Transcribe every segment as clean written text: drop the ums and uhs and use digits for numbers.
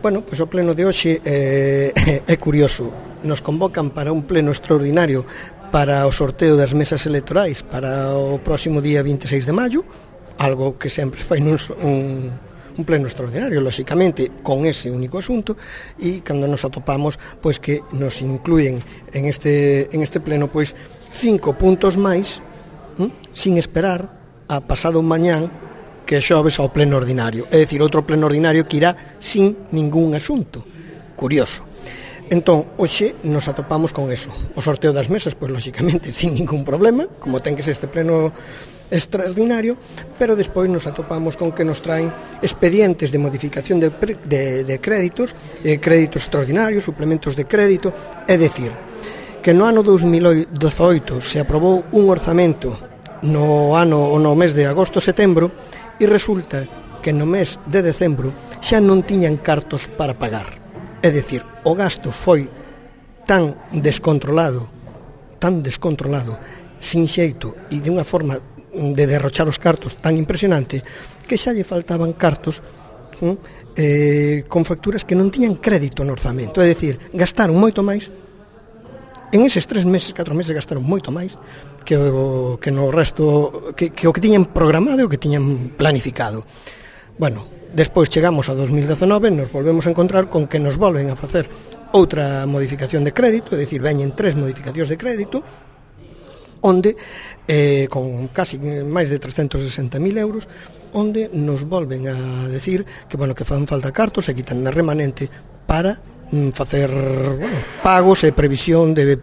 Bueno, pois o pleno de hoxe é curioso. Nos convocan para un pleno extraordinario para o sorteo das mesas electorais para o próximo día 26 de maio, algo que sempre fai un pleno extraordinario, lóxicamente, con ese único asunto, e cando nos atopamos, pois que nos incluyen en este pleno, pois 5 puntos máis, sin esperar a pasado mañán, que é xoves ao pleno ordinario, é dicir, outro pleno ordinario que irá sin ningún asunto. Curioso. Entón, hoxe nos atopamos con eso. O sorteo das mesas, pois, lóxicamente, sin ningún problema, como ten que ser este pleno extraordinario, pero despois nos atopamos con que nos traen expedientes de modificación de créditos, créditos extraordinarios, suplementos de crédito, é dicir, que no ano 2018 se aprobou un orzamento no mes de agosto-setembro, e resulta que no mes de decembro xa non tiñan cartos para pagar. É dicir, o gasto foi tan descontrolado, sin xeito e de unha forma de derrochar os cartos tan impresionante que xa lle faltaban cartos con facturas que non tiñan crédito no orzamento. É dicir, gastaron moito máis. En eses 4 meses gastaron moito máis que no resto, que o que tiñan programado e o que tiñan planificado. Bueno, despois chegamos a 2019, nos volvemos a encontrar con que nos volven a facer outra modificación de crédito, é dicir, veñen 3 modificacións de crédito, onde, con casi máis de 360.000 euros, onde nos volven a decir que, bueno, que fan falta cartos e quitan na remanente para facer pagos e previsión de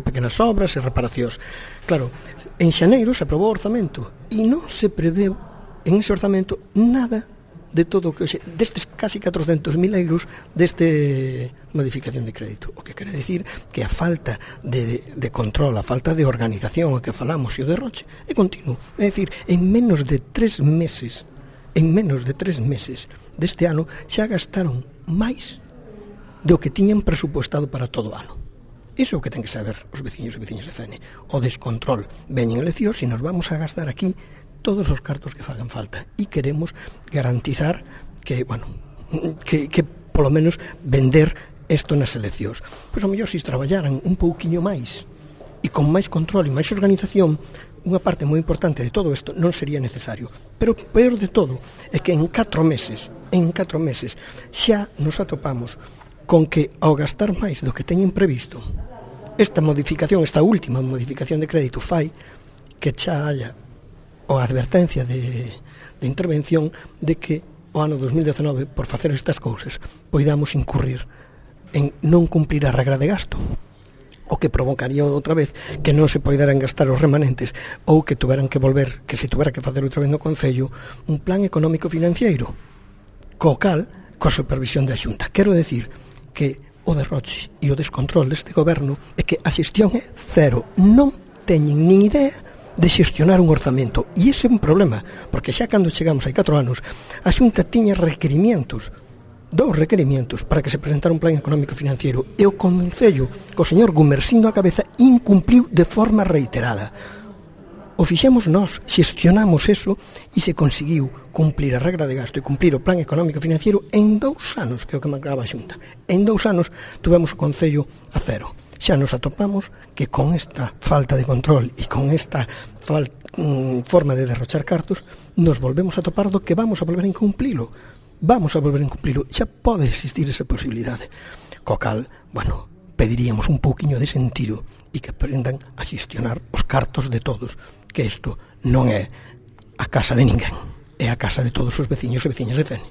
pequenas obras e reparacións. Claro, en xaneiro se aprobou o orzamento e non se preveu en ese orzamento nada de todo o que destes casi 400.000 euros deste modificación de crédito, o que quere decir que a falta de control, a falta de organización, o que falamos e o derroche é continuo. É dicir, en menos de 3 meses deste ano xa gastaron máis do que tiñan presupuestado para todo o ano. Iso é o que ten que saber os veciños e veciñas de Fene. O descontrol. Veñen eleccións e nos vamos a gastar aquí todos os cartos que fagan falta. E queremos garantizar que, bueno, que polo menos vender isto nas eleccións. Pois ao mellor se traballaran un pouquiño máis e con máis control e máis organización, unha parte moi importante de todo isto non sería necesario. Pero o peor de todo é que en 4 meses xa nos atopamos con que ao gastar máis do que teñen previsto, esta última modificación de crédito fai que xa haya a advertencia de intervención de que o ano 2019, por facer estas cousas, poidamos incurrir en non cumprir a regra de gasto, o que provocaría outra vez que non se poideran gastar os remanentes ou que tuveran que volver, que se tuvera que facer outra vez no Concello un plan económico financiero coa supervisión da Xunta. Quero decir que o derroche e o descontrol deste goberno é que a xestión é cero. Non teñen nin idea de xestionar un orzamento. E ese é un problema, porque xa cando chegamos hai 4 anos, a Xunta tiña requerimientos, 2 requerimientos para que se presentara un plan económico financiero, e o Concello, co señor Gumersindo á cabeza, incumpliu de forma reiterada. O fixemos nós, xestionamos eso e se conseguiu cumplir a regra de gasto e cumplir o plan económico financiero en 2 anos, que é o que marcaba a Xunta. En 2 anos tuvemos o Concello a cero. Xa nos atopamos que con esta falta de control e con esta forma de derrochar cartos nos volvemos a topar do que vamos a volver a incumplilo. Xa pode existir esa posibilidade. Co cal, bueno, pediríamos un pouquiño de sentido e que aprendan a xestionar os cartos de todos, que isto non é a casa de ninguén, é a casa de todos os veciños e veciñas de Fene.